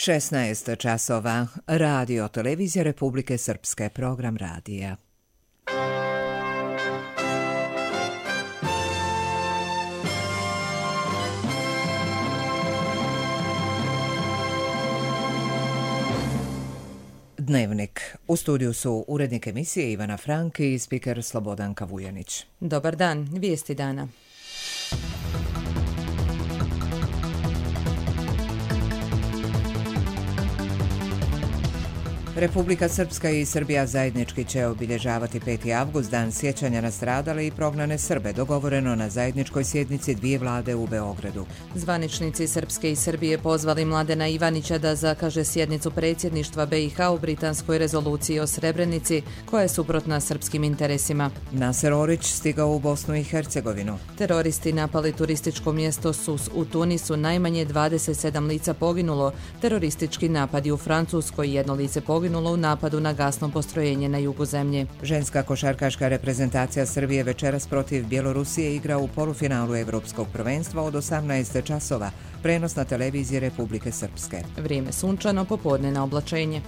16 časova. Radio Televizija Republike Srpske, program radija. Dnevnik. U studiju su urednik emisije Ivana Frank i spiker Slobodanka Vujanić. Dobar dan, vijesti dana. Republika Srpska i Srbija zajednički će obilježavati 5. avgust, dan sjećanja na stradale i prognane Srbe, dogovoreno na zajedničkoj sjednici dvije vlade u Beogradu. Zvaničnici Srpske i Srbije pozvali Mladena Ivanića da zakaže sjednicu predsjedništva BiH u britanskoj rezoluciji o Srebrenici, koja je suprotna srpskim interesima. Naser Orić stigao u Bosnu i Hercegovinu. Teroristi napali turističko mjesto Sus u Tunisu, najmanje 27 lica poginulo. Teroristički napadi u Francuskoj, jedno lice poginulo u napadu na gasno postrojenje na jugu zemlje. Ženska košarkaška reprezentacija Srbije večeras protiv Bjelorusije igra u polufinalu Evropskog prvenstva od 18 časova. Prenos na televiziji Republike Srpske. Vrijeme sunčano, popodne na oblačenje.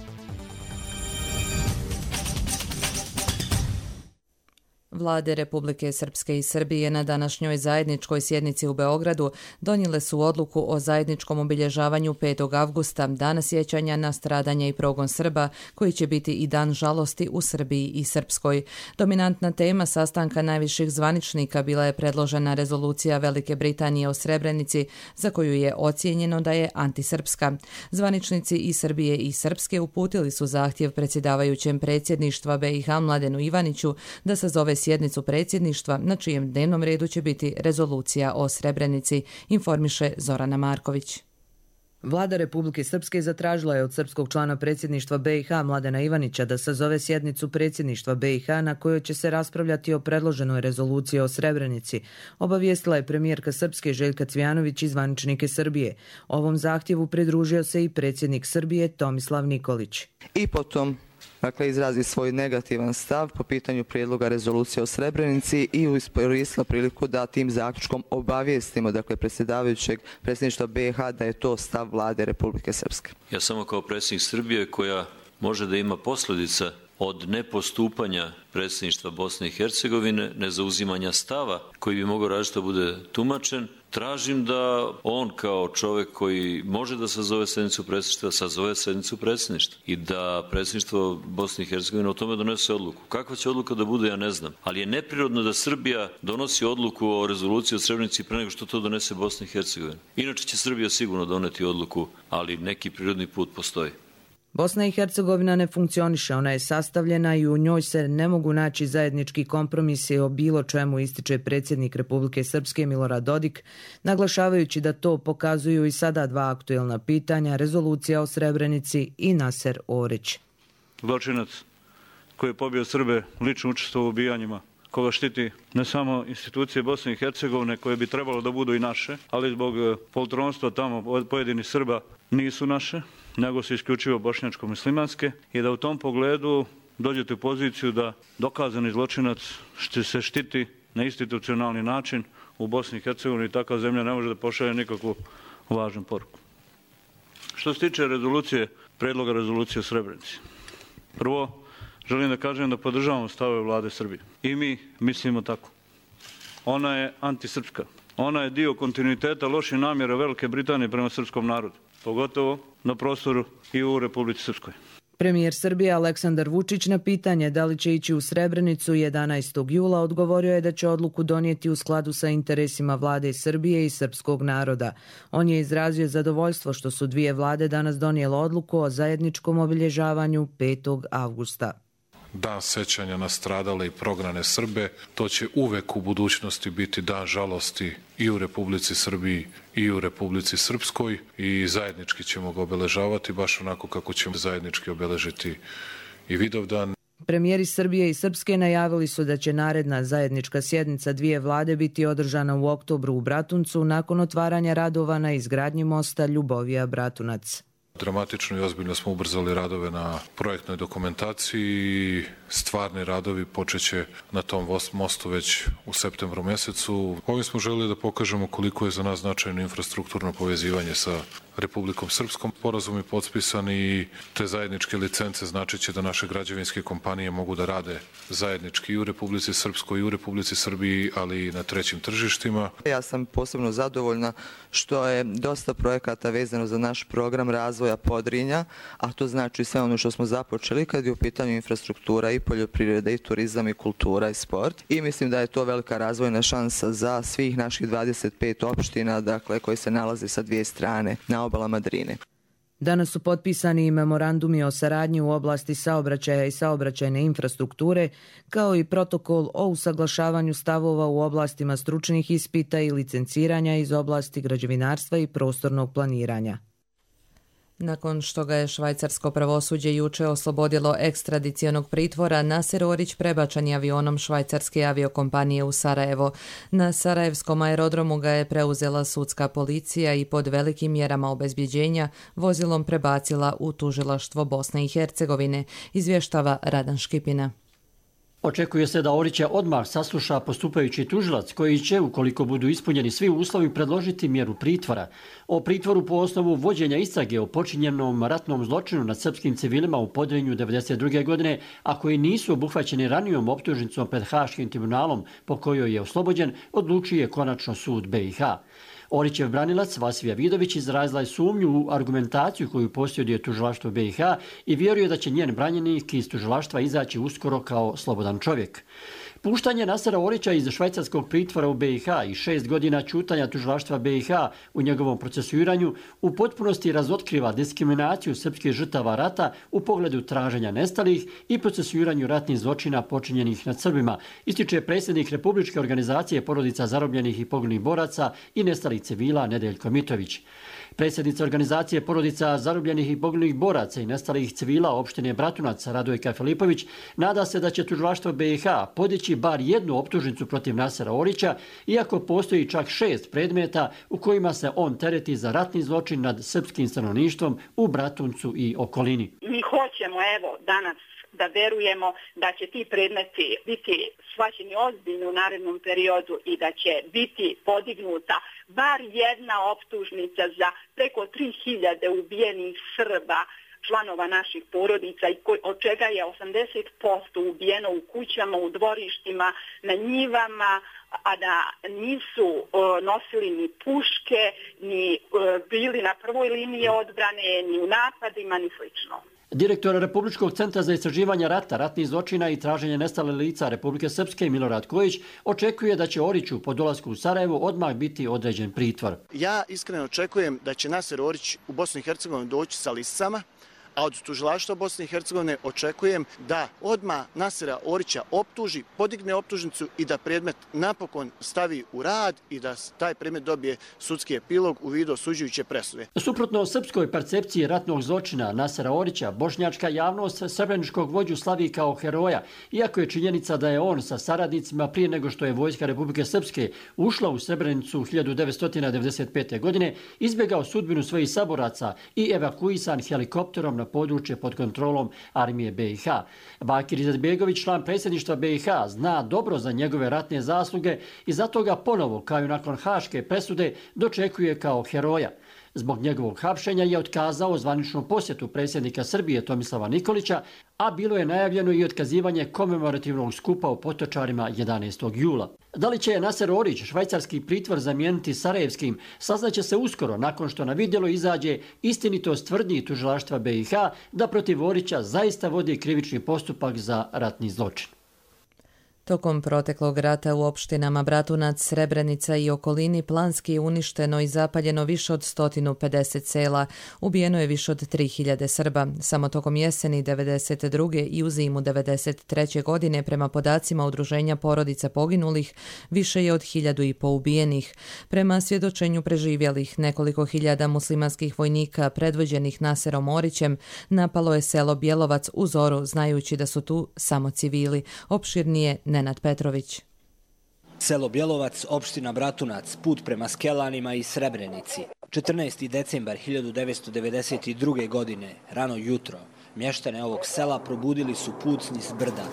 Vlade Republike Srpske i Srbije na današnjoj zajedničkoj sjednici u Beogradu donijele su odluku o zajedničkom obilježavanju 5. avgusta, dana sjećanja na stradanje i progon Srba, koji će biti i dan žalosti u Srbiji i Srpskoj. Dominantna tema sastanka najviših zvaničnika bila je predložena rezolucija Velike Britanije o Srebrenici, za koju je ocijenjeno da je antisrpska. Zvaničnici i Srbije i Srpske uputili su zahtjev predsjedavajućem predsjedništva BiH Mladenu Ivaniću da sazove sjednicu predsjedništva na čijem dnevnom redu će biti rezolucija o Srebrenici, informiše Zorana Marković. Vlada Republike Srpske zatražila je od srpskog člana predsjedništva BiH Mladena Ivanića da sazove sjednicu predsjedništva BiH na kojoj će se raspravljati o predloženoj rezoluciji o Srebrenici. Obavijestila je premijerka Srpske Željka Cvijanović i zvaničnike Srbije. Ovom zahtjevu pridružio se i predsjednik Srbije Tomislav Nikolić. I potom izrazi svoj negativan stav po pitanju prijedloga rezolucije o Srebrenici i iskoristila priliku da tim zaključkom obavijestimo predsjedavajućeg predsjedništva BiH da je to stav vlade Republike Srpske. Ja samo kao predsjednik Srbije, koja može da ima posljedica od nepostupanja predsjedništva Bosne i Hercegovine, nezauzimanja stava koji bi mogao različito bude tumačen, tražim da on kao čovjek koji može da sazove sjednicu predsjedništva, sazove sjednicu predsjedništva i da predsjedništvo Bosne i Hercegovine o tome donese odluku. Kakva će odluka da bude, ja ne znam. Ali je neprirodno da Srbija donosi odluku o rezoluciji o Srebrenici pre nego što to donese Bosna i Hercegovina. Inače će Srbija sigurno doneti odluku, ali neki prirodni put postoji. Bosna i Hercegovina ne funkcioniše, ona je sastavljena i u njoj se ne mogu naći zajednički kompromisi o bilo čemu, ističe predsjednik Republike Srpske Milorad Dodik, naglašavajući da to pokazuju i sada dva aktuelna pitanja, rezolucija o Srebrenici i Naser Orić. Zločinac koji je pobio Srbe lično učestvovao u ubijanjima, koga štiti ne samo institucije Bosne i Hercegovine koje bi trebalo da budu i naše, ali zbog poltronstva tamo od pojedinih Srba nisu naše, nego su isključivo bošnjačko-muslimanske i da u tom pogledu dođete u poziciju da dokazani zločinac se štiti na institucionalni način u Bosni i Hercegovini i takva zemlja ne može da pošalje nikakvu važnu poruku. Što se tiče predloga rezolucije o Srebrenici, prvo želim da kažem da podržavamo stavove vlade Srbije i mi mislimo tako. Ona je antisrpska. Ona je dio kontinuiteta loših namjera Velike Britanije prema srpskom narodu, pogotovo na prostoru i u Republici Srpskoj. Premijer Srbije Aleksandar Vučić na pitanje da li će ići u Srebrenicu 11. jula odgovorio je da će odluku donijeti u skladu sa interesima vlade Srbije i srpskog naroda. On je izrazio zadovoljstvo što su dvije vlade danas donijele odluku o zajedničkom obilježavanju 5. avgusta. Dan sećanja na stradale i prognane Srbe, to će uvek u budućnosti biti dan žalosti i u Republici Srbiji i u Republici Srpskoj i zajednički ćemo ga obeležavati baš onako kako ćemo zajednički obeležiti i Vidovdan. Premijeri Srbije i Srpske najavili su da će naredna zajednička sjednica dvije vlade biti održana u oktobru u Bratuncu nakon otvaranja radova na izgradnji mosta Ljubovija-Bratunac. Dramatično i ozbiljno smo ubrzali radove na projektnoj dokumentaciji i stvarni radovi počeće na tom mostu već u septembru mjesecu. Ovim smo želeli da pokažemo koliko je za nas značajno infrastrukturno povezivanje sa Republikom Srpskom. Sporazum je potpisan i te zajedničke licence znači će da naše građevinske kompanije mogu da rade zajednički i u Republici Srpskoj i u Republici Srbiji, ali i na trećim tržištima. Ja sam posebno zadovoljna što je dosta projekata vezano za naš program razvoja Podrinja, a to znači sve ono što smo započeli kad je u pitanju infrastruktura i poljoprivreda i turizam i kultura i sport. I mislim da je to velika razvojna šansa za svih naših 25 opština, dakle, koji se nalaze sa dvije strane na obalama Drine. Danas su potpisani i memorandumi o saradnji u oblasti saobraćaja i saobraćajne infrastrukture, kao i protokol o usaglašavanju stavova u oblastima stručnih ispita i licenciranja iz oblasti građevinarstva i prostornog planiranja. Nakon što ga je švajcarsko pravosuđe juče oslobodilo ekstradicionog pritvora, Naser Orić prebačen je avionom švajcarske aviokompanije u Sarajevo. Na sarajevskom aerodromu ga je preuzela sudska policija i pod velikim mjerama obezbjeđenja vozilom prebacila u tužilaštvo Bosne i Hercegovine, izvještava Radan Škipina. Očekuje se da Orića odmah sasluša postupajući tužilac koji će, ukoliko budu ispunjeni svi uslovi, predložiti mjeru pritvora. O pritvoru po osnovu vođenja istrage o počinjenom ratnom zločinu nad srpskim civilima u Podrinju 1992. godine, a koji nisu obuhvaćeni ranijom optužnicom pred Haškim tribunalom po kojoj je oslobođen, odlučuje konačno sud BiH. Orićev branilac Vasija Vidović izrazila je sumnju u argumentaciju koju posjeduje tužilaštvo BiH i vjeruje da će njen branjenik iz tužilaštva izaći uskoro kao slobodan čovjek. Puštanje Nasera Orića iz švajcarskog pritvora u BiH i 6 godina ćutanja tužilaštva BiH u njegovom procesuiranju u potpunosti razotkriva diskriminaciju srpskih žrtava rata u pogledu traženja nestalih i procesuiranju ratnih zločina počinjenih nad Srbima, ističe predsjednik Republičke organizacije porodica zarobljenih i poginulih boraca i nestalih civila Nedeljko Mitrović. Predsjednica organizacije porodica zarobljenih i poginulih boraca i nestalih civila opštine Bratunac Radojka Filipović nada se da će tužilaštvo BiH podići bar jednu optužnicu protiv Nasera Orića, iako postoji čak 6 predmeta u kojima se on tereti za ratni zločin nad srpskim stanovništvom u Bratuncu i okolini. Mi hoćemo danas da verujemo da će ti predmeti biti shvaćeni ozbiljno u narednom periodu i da će biti podignuta bar jedna optužnica za preko 3000 ubijenih Srba, članova naših porodica, od čega je 80% ubijeno u kućama, u dvorištima, na njivama, a da nisu nosili ni puške, ni bili na prvoj liniji odbrane, ni u napadima, ni slično. Direktor Republičkog centra za istraživanje rata, ratnih zločina i traženje nestale lica Republike Srpske Milorad Kojić očekuje da će Oriću po dolasku u Sarajevo odmah biti određen pritvor. Ja iskreno očekujem da će Naser Orić u Bosnu i Hercegovinu doći sa lisicama, a od tužilaštva Bosne i Hercegovine očekujem da odmah Nasera Orića optuži, podigne optužnicu i da predmet napokon stavi u rad i da taj predmet dobije sudski epilog u vidu osuđujuće presude. Suprotno srpskoj percepciji ratnog zločina Nasera Orića, bošnjačka javnost srebreničkog vođu slavi kao heroja, iako je činjenica da je on sa saradnicima prije nego što je vojska Republike Srpske ušla u Srebrenicu 1995. godine, izbjegao sudbinu svojih saboraca i evakuisan helikopterom na područje pod kontrolom armije BiH. Bakir Izetbegović, član predsjedništva BiH, zna dobro za njegove ratne zasluge i zato ga ponovo, kao i nakon haške presude, dočekuje kao heroja. Zbog njegovog hapšenja je otkazao zvaničnu posjetu predsjednika Srbije Tomislava Nikolića, a bilo je najavljeno i otkazivanje komemorativnog skupa u Potočarima 11. jula. Da li će Naser Orić švajcarski pritvor zamijeniti sarajevskim, saznaće se uskoro nakon što na vidjelo izađe istinitost tvrdnji tužilaštva BiH da protiv Orića zaista vodi krivični postupak za ratni zločin. Tokom proteklog rata u opštinama Bratunac, Srebrenica i okolini planski je uništeno i zapaljeno više od 150 sela, ubijeno je više od 3000 Srba. Samo tokom jeseni 1992. i u zimu 1993. godine, prema podacima Udruženja porodica poginulih, više je od 1500 ubijenih. Prema svjedočenju preživjelih, nekoliko hiljada muslimanskih vojnika predvođenih Naserom Orićem napalo je selo Bjelovac u zoru, znajući da su tu samo civili. Opširnije Nenad Petrović. Selo Bjelovac, opština Bratunac, put prema Skelanima i Srebrenici. 14. decembar 1992. godine, rano jutro, mještane ovog sela probudili su pucnji s brda.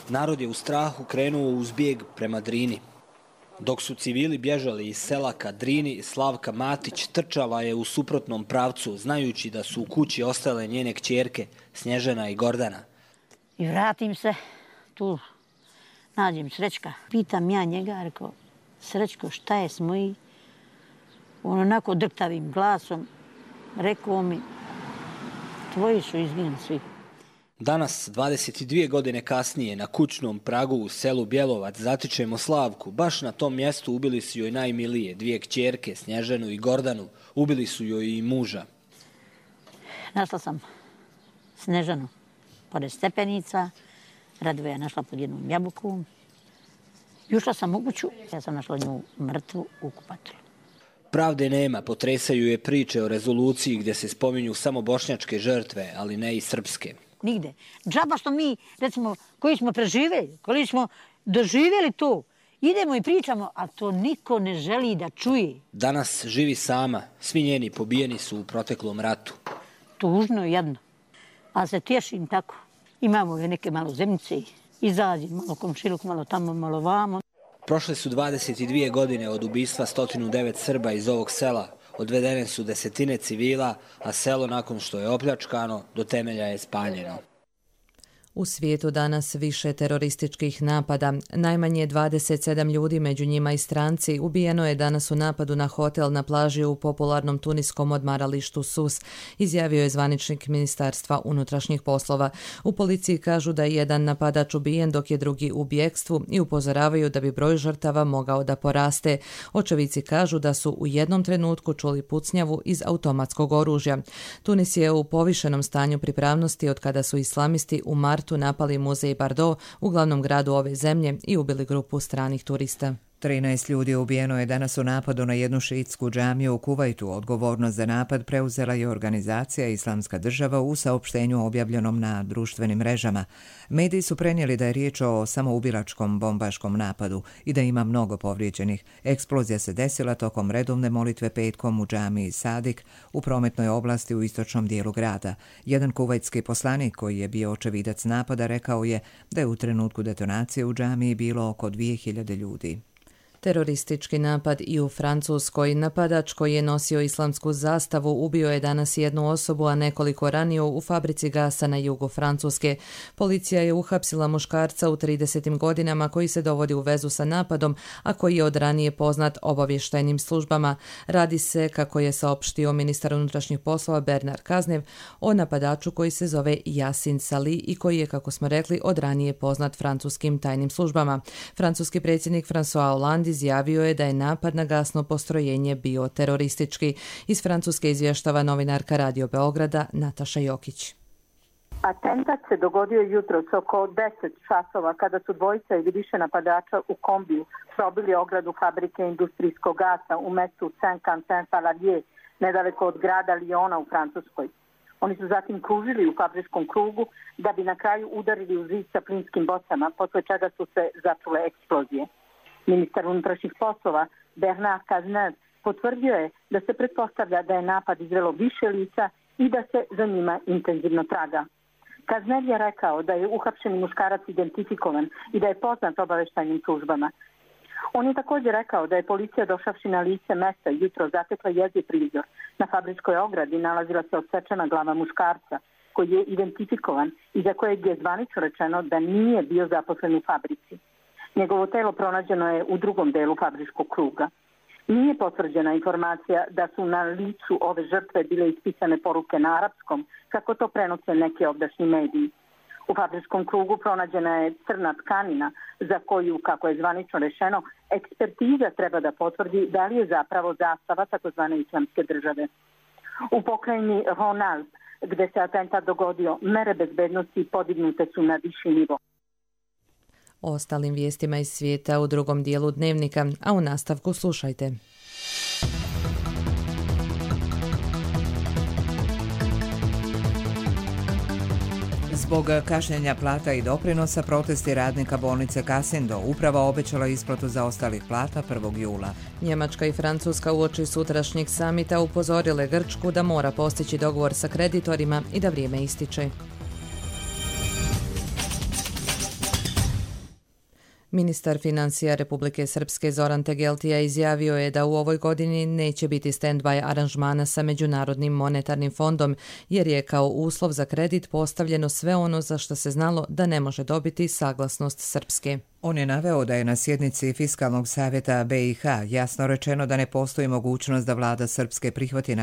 Narod je u strahu krenuo uz bijeg prema Drini. Dok su civili bježali iz sela Kadrini, Slavka Matić trčala je u suprotnom pravcu, znajući da su u kući ostale njene kćerke Snježana i Gordana. I vratim se, tu nađem Srećka. Pitam ja njega, rekao, Srećko, šta je s moji? On onako drktavim glasom rekao mi, tvoji su izginuli svi. Danas, 22 godine kasnije, na kućnom pragu u selu Bjelovac zatičemo Slavku. Baš na tom mjestu ubili su joj najmilije, 2 kćerke, Snježanu i Gordanu. Ubili su joj i muža. Našla sam Snježanu pored stepenica, Radoveja našla pod jednom jabukom. I ušla sam u kuću, ja sam našla nju mrtvu u kupatilu. Pravde nema, potresaju je priče o rezoluciji gdje se spominju samo bošnjačke žrtve, ali ne i srpske. Nigde. Džaba što mi, recimo, koji smo preživjeli, koji smo doživjeli to, idemo i pričamo, a to niko ne želi da čuje. Danas živi sama, svi njeni pobijeni su u proteklom ratu. Tužno je jedno, ali se tješim tako. Imamo je neke malo zemljice, izađi, malo komšiluk, malo tamo, malo vamo. Prošle su 22 godine od ubistva 109 Srba iz ovog sela. Odvedene su desetine civila, a selo nakon što je opljačkano do temelja je spaljeno. U svijetu danas više terorističkih napada. Najmanje 27 ljudi, među njima i stranci, ubijeno je danas u napadu na hotel na plaži u popularnom tuniskom odmaralištu Sus, izjavio je zvaničnik Ministarstva unutrašnjih poslova. U policiji kažu da je jedan napadač ubijen dok je drugi u bjekstvu i upozoravaju da bi broj žrtava mogao da poraste. Očevici kažu da su u jednom trenutku čuli pucnjavu iz automatskog oružja. Tunis je u povišenom stanju pripravnosti od kada su islamisti u martu napali muzej Bardo u glavnom gradu ove zemlje i ubili grupu stranih turista. 13 ljudi ubijeno je danas u napadu na jednu šiitsku džamiju u Kuvajtu. Odgovornost za napad preuzela je organizacija Islamska država u saopštenju objavljenom na društvenim mrežama. Mediji su prenijeli da je riječ o samoubilačkom bombaškom napadu i da ima mnogo povrijeđenih. Eksplozija se desila tokom redovne molitve petkom u džamiji Sadik u prometnoj oblasti u istočnom dijelu grada. Jedan kuvajtski poslanik koji je bio očevidac napada rekao je da je u trenutku detonacije u džamiji bilo oko 2000 ljudi. Teroristički napad i u Francuskoj. Napadač koji je nosio islamsku zastavu ubio je danas jednu osobu, a nekoliko ranio u fabrici gasa na jugu Francuske. Policija je uhapsila muškarca u 30. godinama koji se dovodi u vezu sa napadom, a koji je od ranije poznat obavještajnim službama. Radi se, kako je saopštio ministar unutrašnjih poslova Bernard Cazeneuve, o napadaču koji se zove Yasin Sali i koji je, kako smo rekli, od ranije poznat francuskim tajnim službama. Francuski predsjednik François Hollande izjavio je da je napad na gasno postrojenje bio teroristički. Iz Francuske izvještava novinarka Radio Beograda Nataša Jokić. Atentat se dogodio jutros oko 10 časova kada su dvojica ili više napadača u kombiju probili ogradu fabrike industrijskog gasa u mestu Saint-Quentin-Fallavier, nedaleko od grada Lyona u Francuskoj. Oni su zatim kružili u fabričkom krugu da bi na kraju udarili u zid sa plinskim bocama, posle čega su se začule eksplozije. Ministar unutrašnjih poslova Bernard Cazeneuve potvrdio je da se pretpostavlja da je napad izvelo više lica i da se za njima intenzivno traga. Cazeneuve je rekao da je uhapšeni muškarac identifikovan i da je poznat obavještajnim službama. On je također rekao da je policija došavši na lice mesta jutro zatekla jeziv prizor. Na fabričkoj ogradi nalazila se odsečena glava muškarca koji je identifikovan i za kojeg je zvanično rečeno da nije bio zaposlen u fabrici. Njegovo telo pronađeno je u drugom delu fabričkog kruga. Nije potvrđena informacija da su na licu ove žrtve bile ispisane poruke na arapskom, kako to prenose neki ovdašnji mediji. U fabričkom krugu pronađena je crna tkanina za koju, kako je zvanično rečeno, ekspertiza treba da potvrdi da li je zapravo zastava takozvane Islamske države. U pokrajini Rhône-Alpes, gde se atentat dogodio, mere bezbednosti podignute su na viši nivo. O ostalim vijestima iz svijeta u drugom dijelu dnevnika, a u nastavku slušajte. Zbog kašnjenja plata i doprinosa protesti radnika bolnice Kasindo uprava obećala isplatu zaostalih plata 1. jula. Njemačka i Francuska uoči sutrašnjeg samita upozorile Grčku da mora postići dogovor sa kreditorima i da vrijeme ističe. Ministar financija Republike Srpske Zoran Tegeltija izjavio je da u ovoj godini neće biti stand-by aranžmana sa Međunarodnim monetarnim fondom, jer je kao uslov za kredit postavljeno sve ono za što se znalo da ne može dobiti saglasnost Srpske. On je naveo da je na sjednici Fiskalnog savjeta BiH jasno rečeno da ne postoji mogućnost da vlada Srpske prihvati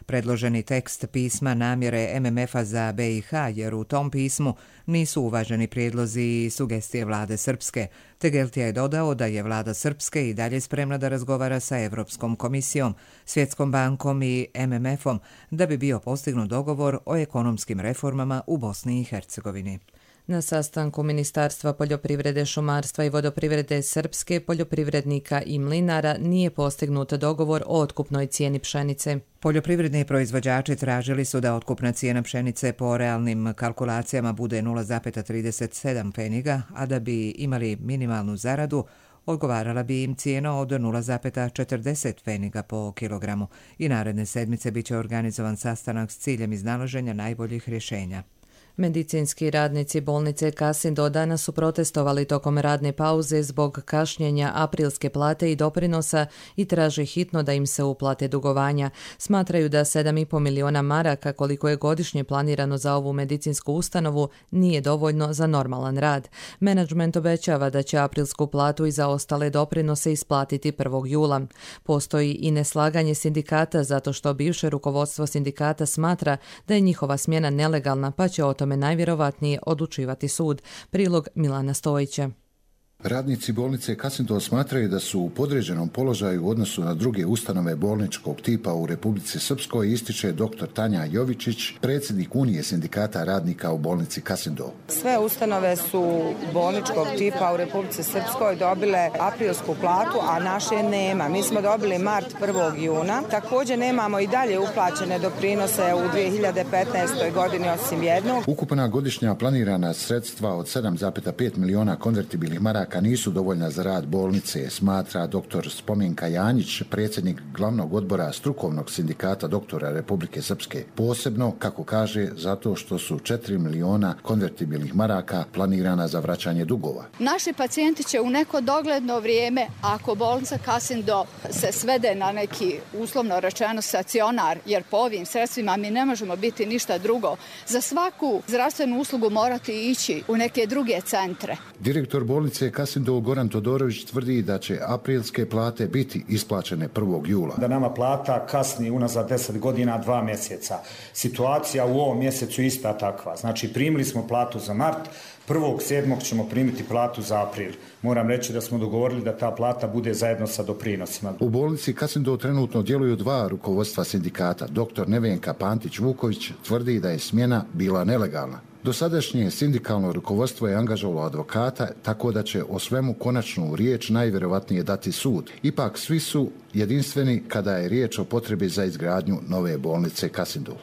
predloženi tekst pisma namjere MMF-a za BiH, jer u tom pismu nisu uvaženi prijedlozi i sugestije vlade Srpske. Tegeltija je dodao da je vlada Srpske i dalje spremna da razgovara sa Europskom komisijom, Svjetskom bankom i MMF-om da bi bio postignut dogovor o ekonomskim reformama u Bosni i Hercegovini. Na sastanku Ministarstva poljoprivrede, šumarstva i vodoprivrede Srpske, poljoprivrednika i mlinara nije postignut dogovor o otkupnoj cijeni pšenice. Poljoprivredni proizvođači tražili su da otkupna cijena pšenice po realnim kalkulacijama bude 0,37 pfeniga, a da bi imali minimalnu zaradu, odgovarala bi im cijena od 0,40 pfeniga po kilogramu i naredne sedmice biće organizovan sastanak s ciljem iznalaženja najboljih rješenja. Medicinski radnici bolnice Kasindo danas su protestovali tokom radne pauze zbog kašnjenja aprilske plate i doprinosa i traže hitno da im se uplate dugovanja. Smatraju da 7,5 miliona maraka, koliko je godišnje planirano za ovu medicinsku ustanovu, nije dovoljno za normalan rad. Menadžment obećava da će aprilsku platu i za ostale doprinose isplatiti 1. jula. Postoji i neslaganje sindikata zato što bivše rukovodstvo sindikata smatra da je njihova smjena nelegalna, pa će o tome najvjerovatnije odlučivati sud. Prilog Milana Stojića. Radnici bolnice Kasindo smatraju da su u podređenom položaju u odnosu na druge ustanove bolničkog tipa u Republici Srpskoj, ističe dr. Tanja Jovičić, predsjednik Unije sindikata radnika u bolnici Kasindo. Sve ustanove su bolničkog tipa u Republici Srpskoj dobile aprilsku platu, a naše nema. Mi smo dobili mart 1. juna. Također nemamo i dalje uplaćene doprinose u 2015. godini osim jednog. Ukupna godišnja planirana sredstva od 7,5 miliona konvertibilnih maraka nisu dovoljna za rad bolnice, smatra dr. Spomenka Janjić, predsjednik glavnog odbora strukovnog sindikata doktora Republike Srpske. Posebno, kako kaže, zato što su 4 miliona konvertibilnih maraka planirana za vraćanje dugova. Naši pacijenti će u neko dogledno vrijeme, ako bolnica Kasindo se svede na neki, uslovno rečeno, stacionar, jer po ovim sredstvima mi ne možemo biti ništa drugo, za svaku zdravstvenu uslugu morati ići u neke druge centre. Direktor bolnice Kasindo Goran Todorović tvrdi da će aprilske plate biti isplaćene 1. jula. Da nama plata kasni unazad 10 godina 2 mjeseca. Situacija u ovom mjesecu ista takva. Znači primili smo platu za mart, 1.7. ćemo primiti platu za april. Moram reći da smo dogovorili da ta plata bude zajedno sa doprinosima. U bolnici Kasindo trenutno djeluju 2 rukovodstva sindikata. Dr. Nevenka Pantić-Vuković tvrdi da je smjena bila nelegalna. Dosadašnje sindikalno rukovodstvo je angažovalo advokata, tako da će o svemu konačnu riječ najvjerovatnije dati sud. Ipak svi su jedinstveni kada je riječ o potrebi za izgradnju nove bolnice Kasindo.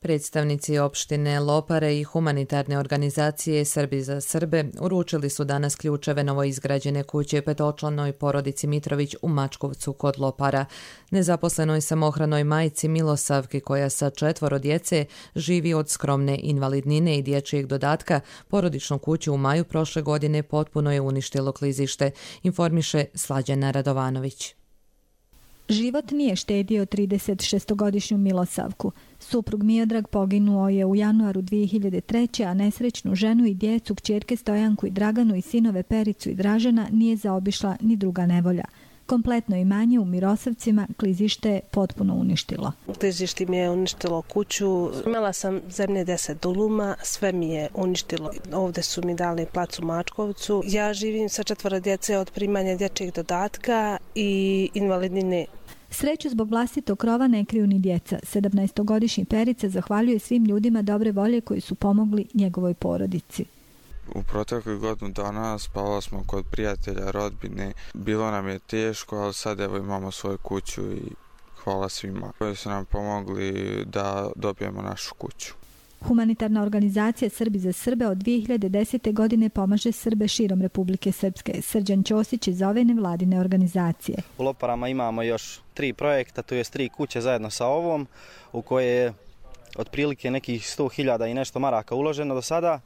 Predstavnici opštine Lopare i humanitarne organizacije Srbi za Srbe uručili su danas ključeve novoizgrađene kuće petočlanoj porodici Mitrović u Mačkovcu kod Lopara. Nezaposlenoj samohranoj majci Milosavki, koja sa 4 djece živi od skromne invalidnine i dječjeg dodatka, porodičnu kuću u maju prošle godine potpuno je uništilo klizište, informiše Slađana Radovanović. Život nije štedio 36-godišnju Milosavku. Suprug Miodrag poginuo je u januaru 2003. a nesrećnu ženu i djecu, kćerke Stojanku i Draganu i sinove Pericu i Dražena nije zaobišla ni druga nevolja. Kompletno imanje u Mirosavcima klizište je potpuno uništilo. Klizište mi je uništilo kuću. Imala sam zemlje 10 duluma, sve mi je uništilo. Ovdje su mi dali plac u Mačkovcu. Ja živim sa 4 djece od primanja dječjeg dodatka i invalidnine. Sreću zbog vlastitog krova ne kriju ni djeca. 17-godišnji Perica zahvaljuje svim ljudima dobre volje koji su pomogli njegovoj porodici. U proteklih godinu dana spavali smo kod prijatelja, rodbine. Bilo nam je teško, ali sad evo imamo svoju kuću i hvala svima koji su nam pomogli da dobijemo našu kuću. Humanitarna organizacija Srbi za Srbe od 2010. godine pomaže Srbe širom Republike Srpske. Srđan Ćosić iz ove nevladine organizacije. U Loparama imamo još 3 projekta, to je 3 kuće zajedno sa ovom, u koje je otprilike nekih 100.000 i nešto maraka uloženo do sada.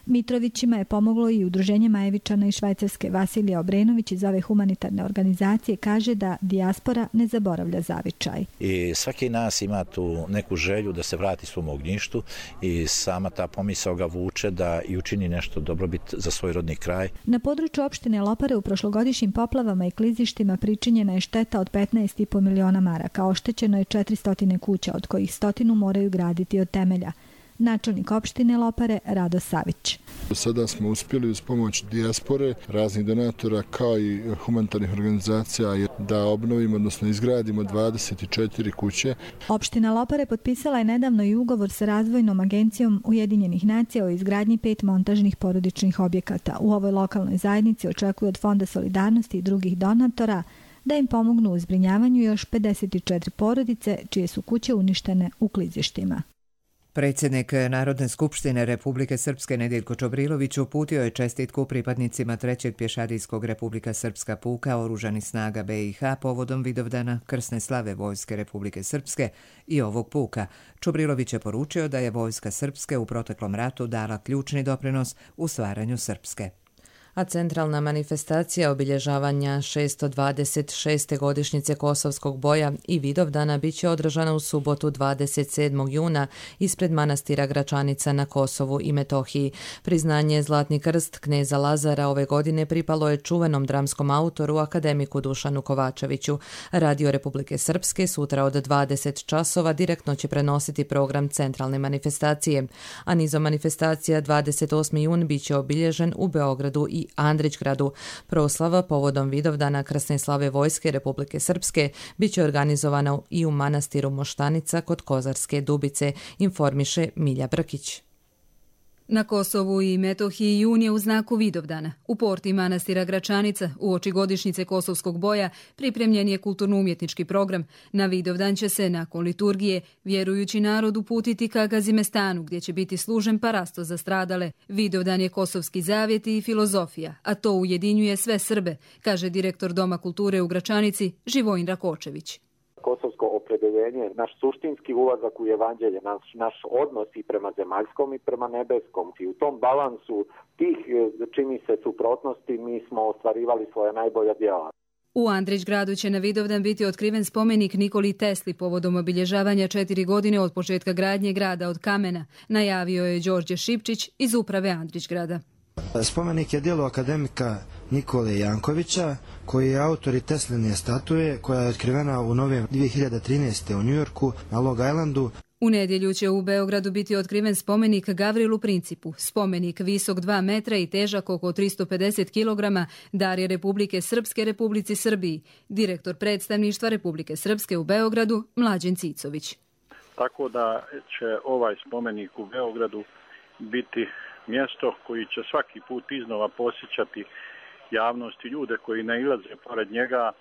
Mitrovićima je pomoglo i udruženje Majevičana iz Švajcarske. Vasilija Obrenović iz ove humanitarne organizacije kaže da dijaspora ne zaboravlja zavičaj. I svaki nas ima tu neku želju da se vrati svom ognjištu i sama ta pomisao ga vuče da i učini nešto dobrobit za svoj rodni kraj. Na području opštine Lopare u prošlogodišnjim poplavama i klizištima pričinjena je šteta od 15,5 miliona maraka. Oštećeno je 400 kuća, od kojih 100 moraju graditi od temelja. Načelnik opštine Lopare Rado Savić. Sada smo uspjeli uz pomoć dijaspore, raznih donatora kao i humanitarnih organizacija da obnovimo, odnosno izgradimo 24 kuće. Opština Lopare potpisala je nedavno i ugovor sa Razvojnom agencijom Ujedinjenih nacija o izgradnji 5 montažnih porodičnih objekata. U ovoj lokalnoj zajednici očekuju od Fonda solidarnosti i drugih donatora da im pomognu u zbrinjavanju još 54 porodice čije su kuće uništene u klizištima. Predsjednik Narodne skupštine Republike Srpske Nedjeljko Čobrilović uputio je čestitku pripadnicima 3. pješadijskog Republika Srpska puka Oružanih snaga BiH povodom Vidovdana krsne slave Vojske Republike Srpske i ovog puka. Čobrilović je poručio da je Vojska Srpske u proteklom ratu dala ključni doprinos u stvaranju Srpske. A centralna manifestacija obilježavanja 626. godišnjice Kosovskog boja i Vidovdana bit će održana u subotu 27. juna ispred manastira Gračanica na Kosovu i Metohiji. Priznanje Zlatni krst kneza Lazara ove godine pripalo je čuvenom dramskom autoru akademiku Dušanu Kovačeviću. Radio Republike Srpske sutra od 20 časova direktno će prenositi program centralne manifestacije, a nizom manifestacija 28. jun bit će obilježen u Beogradu i Andrićgradu. Proslava povodom Vidovdana krsne slave Vojske Republike Srpske bit će organizovana i u manastiru Moštanica kod Kozarske Dubice, informiše Milja Brkić. Na Kosovu i Metohiji jun je u znaku Vidovdana. U porti manastira Gračanica, uoči godišnjice Kosovskog boja, pripremljen je kulturno-umjetnički program. Na Vidovdan će se, nakon liturgije, vjerujući narod uputiti ka Gazimestanu, gdje će biti služen parasto za stradale. Vidovdan je kosovski zavjet i filozofija, a to ujedinjuje sve Srbe, kaže direktor Doma kulture u Gračanici Živojin Rakočević. Kosovsko opredeljenje, naš suštinski ulazak u evanđelje, naš odnos i prema zemaljskom i prema nebeskom. I u tom balansu tih, čini se, suprotnosti mi smo ostvarivali svoje najbolja djela. U Andrićgradu će na Vidovdan biti otkriven spomenik Nikoli Tesli povodom obilježavanja 4 godine od početka gradnje grada od kamena, najavio je Đorđe Šipčić iz uprave Andrićgrada. Spomenik je djelo akademika Nikole Jankovića, koji je autor i Tesline statue, koja je otkrivena u novembru 2013. u Njujorku na Long Islandu. U nedjelju će u Beogradu biti otkriven spomenik Gavrilu Principu. Spomenik visok 2 metra i težak oko 350 kg dar je Republike Srpske Republici Srbiji. Direktor predstavništva Republike Srpske u Beogradu Mlađen Cicović. Tako da će ovaj spomenik u Beogradu biti mjesto koji će svaki put iznova posjećati javnost i ljude koji nailaze pored njega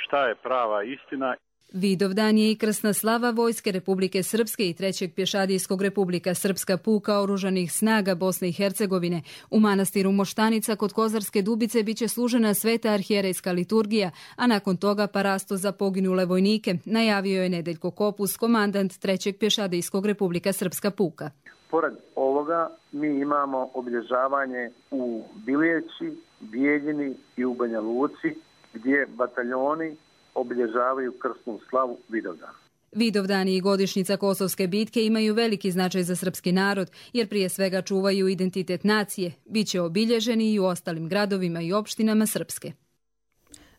šta je prava istina. Vidovdan je i krsna slava Vojske Republike Srpske i 3. pješadijskog Republika Srpska puka Oružanih snaga Bosne i Hercegovine. U manastiru Moštanica kod Kozarske Dubice biće služena sveta arhijerejska liturgija, a nakon toga parasto za poginule vojnike, najavio je Nedeljko Kopus, komandant 3. pješadijskog Republika Srpska puka. Pored ovoga mi imamo obilježavanje u Biljeći, Bijeljini i u Banja Luci, gdje bataljoni obilježavaju krsnu slavu Vidovdana. Vidovdani i godišnjica Kosovske bitke imaju veliki značaj za srpski narod, jer prije svega čuvaju identitet nacije. Biće obilježeni i u ostalim gradovima i opštinama Srpske.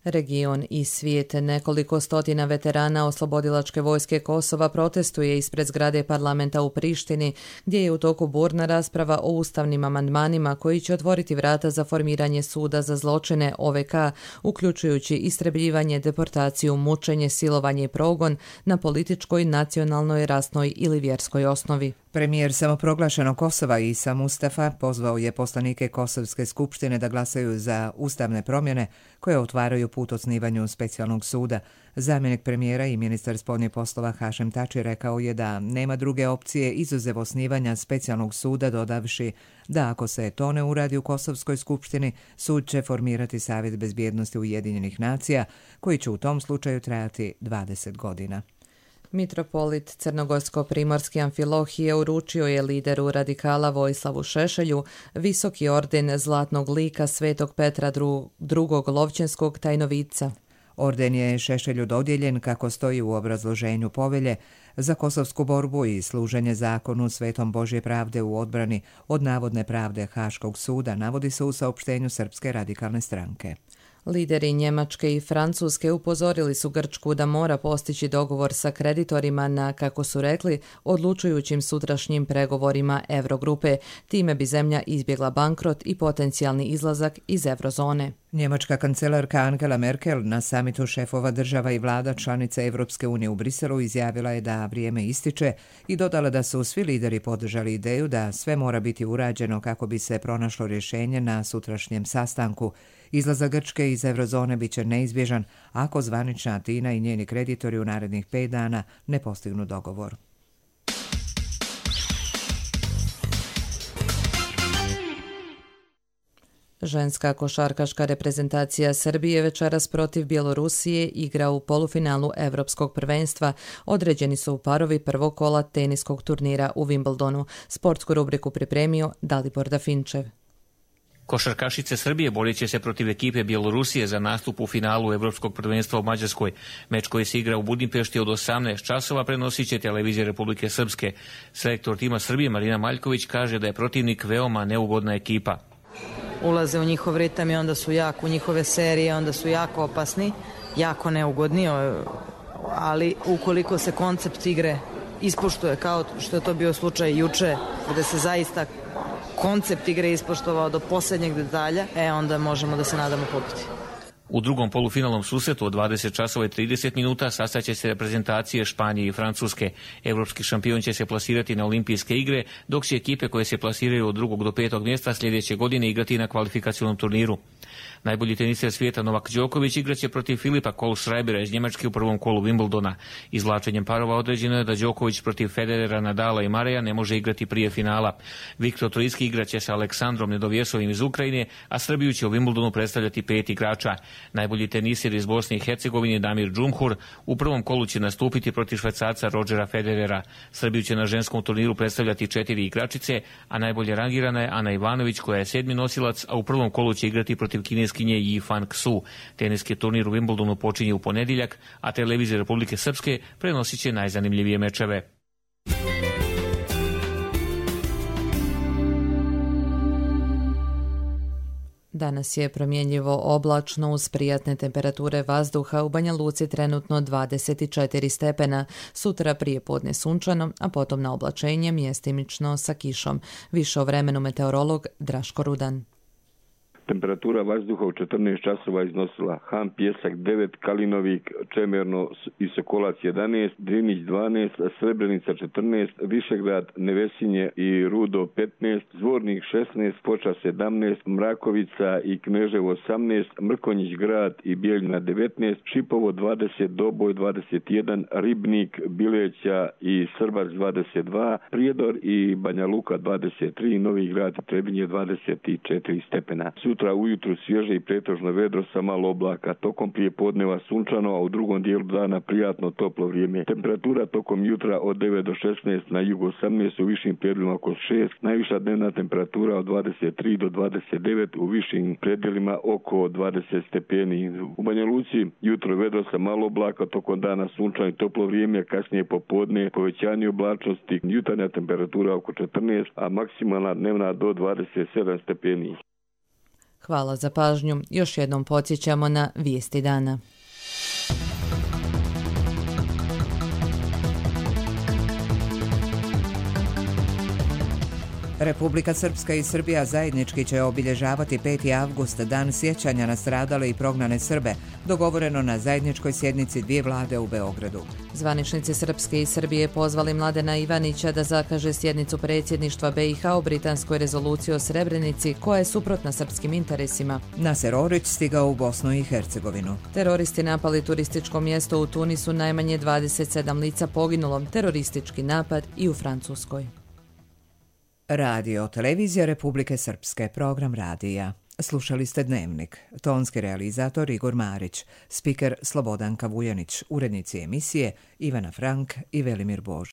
Region i svijet. Nekoliko stotina veterana Oslobodilačke vojske Kosova protestuje ispred zgrade parlamenta u Prištini, gdje je u toku burna rasprava o ustavnim amandmanima koji će otvoriti vrata za formiranje suda za zločine OVK, uključujući istrebljivanje, deportaciju, mučenje, silovanje i progon na političkoj, nacionalnoj, rasnoj ili vjerskoj osnovi. Premijer samoproglašenog Kosova Isa Mustafa pozvao je poslanike Kosovske skupštine da glasaju za ustavne promjene koje otvaraju put osnivanju specijalnog suda. Zamjenik premijera i ministar spoljnih poslova Hašem Tači rekao je da nema druge opcije izuzev osnivanja specijalnog suda, dodavši da ako se to ne uradi u Kosovskoj skupštini, sud će formirati Savjet bezbjednosti Ujedinjenih nacija, koji će u tom slučaju trajati 20 godina. Mitropolit Crnogorsko-primorski Amfilohije uručio je lideru radikala Vojislavu Šešelju visoki orden Zlatnog lika Svetog Petra II. Lovćenskog tajnovica. Orden je Šešelju dodijeljen, kako stoji u obrazloženju povelje, za kosovsku borbu i služenje zakonu Svetom Božje pravde u odbrani od navodne pravde Haškog suda, navodi se u saopštenju Srpske radikalne stranke. Lideri Njemačke i Francuske upozorili su Grčku da mora postići dogovor sa kreditorima na, kako su rekli, odlučujućim sutrašnjim pregovorima Eurogrupe. Time bi zemlja izbjegla bankrot i potencijalni izlazak iz eurozone. Njemačka kancelarka Angela Merkel na samitu šefova država i vlada članica Evropske unije u Briselu izjavila je da vrijeme ističe i dodala da su svi lideri podržali ideju da sve mora biti urađeno kako bi se pronašlo rješenje na sutrašnjem sastanku. Izlazak Grčke iz eurozone bit će neizbježan ako zvanična Atina i njeni kreditori u narednih 5 dana ne postignu dogovor. Ženska košarkaška reprezentacija Srbije večeras protiv Bjelorusije igra u polufinalu Evropskog prvenstva. Određeni su parovi prvog kola teniskog turnira u Wimbledonu. Sportsku rubriku pripremio Dalibor Dafinčev. Košarkašice Srbije borit će se protiv ekipe Bjelorusije za nastup u finalu Evropskog prvenstva u Mađarskoj. Meč koji se igra u Budimpešti od 18 časova prenosit će televizija Republike Srpske. Selektor tima Srbije Marina Maljković kaže da je protivnik veoma neugodna ekipa. Ulaze u njihov ritam i onda su u njihove serije, onda su jako opasni, jako neugodni, ali ukoliko se koncept igre ispoštuje kao što je to bio slučaj juče, gde se zaista koncept igre ispoštovao do posljednjeg detalja, onda možemo da se nadamo pobjedi. U drugom polufinalnom susretu od 20 časova i 30 minuta sastaće se reprezentacije Španije i Francuske. Evropski šampion će se plasirati na olimpijske igre, dok će ekipe koje se plasiraju od 2. do 5. mjesta sljedeće godine igrati na kvalifikacionom turniru. Najbolji teniser svijeta Novak Đoković igraće protiv Filipa Kohlschreibera iz Njemačke u prvom kolu Wimbledona. Izvlačenjem parova određeno je da Đoković protiv Federera, Nadala i Mareja ne može igrati prije finala. Viktor Trojski igraće sa Aleksandrom Nedovjesovim iz Ukrajine, a Srbiju će u Wimbledonu predstavljati 5 igrača. Najbolji teniser iz Bosne i Hercegovine Damir Džumhur u prvom kolu će nastupiti protiv Švajcarca Rodgera Federera. Srbiju će na ženskom turniru predstavljati 4 igračice, a najbolje rangirana je Ana Ivanović koja je 7. nosilac, a u prvom kolu će igrati protiv kineskinje Yi Fan Xu. Teniski turnir u Wimbledonu počinje u ponedjeljak, a televizija Republike Srpske prenosit će najzanimljivije mečeve. Danas je promjenjivo oblačno uz prijatne temperature vazduha, u Banja Luci trenutno 24 stepena, sutra prije podne sunčano, a potom na oblačenje mjestimično sa kišom. Više o vremenu meteorolog Draško Rudan. Temperatura vazduha u 14 časova iznosila Ham Pjesak 9, Kalinovik, Čemerno i Sokolac 11, Drinić 12, Srebrenica 14, Višegrad, Nevesinje i Rudo 15, Zvornik 16, Foča 17, Mrakovica i Kneževo 18, Mrkonjić grad i Bijeljina 19, Šipovo 20, Doboj 21, Ribnik, Bileća i Srbac 22, Prijedor i Banja Luka 23, Novi grad i Trebinje 24 stepena. Sutra ujutru svježe i pretežno vedro sa malo oblaka, tokom prije podneva sunčano, a u drugom dijelu dana prijatno toplo vrijeme. Temperatura tokom jutra od 9 do 16, na jugu 18, u višim predjelima oko 6, najviša dnevna temperatura od 23 do 29, u višim predjelima oko 20 stepeni. U Banja Luci jutro vedro sa malo oblaka, tokom dana sunčano i toplo vrijeme, kasnije popodne povećanje oblačnosti, jutarnja temperatura oko 14, a maksimalna dnevna do 27 stepeni. Hvala za pažnju. Još jednom podsjećamo na vijesti dana. Republika Srpska i Srbija zajednički će obilježavati 5. avgust, dan sjećanja na stradale i prognane Srbe, dogovoreno na zajedničkoj sjednici dvije vlade u Beogradu. Zvaničnici Srpske i Srbije pozvali Mladena Ivanića da zakaže sjednicu predsjedništva BiH o britanskoj rezoluciji o Srebrenici, koja je suprotna srpskim interesima. Naser Orić stigao u Bosnu i Hercegovinu. Teroristi napali turističko mjesto u Tunisu, najmanje 27 lica poginulo, teroristički napad i u Francuskoj. Radio Televizija Republike Srpske, program radija. Slušali ste Dnevnik. Tonski realizator Igor Marić, spiker Slobodanka Vujanić, urednici emisije Ivana Frank i Velimir Bož.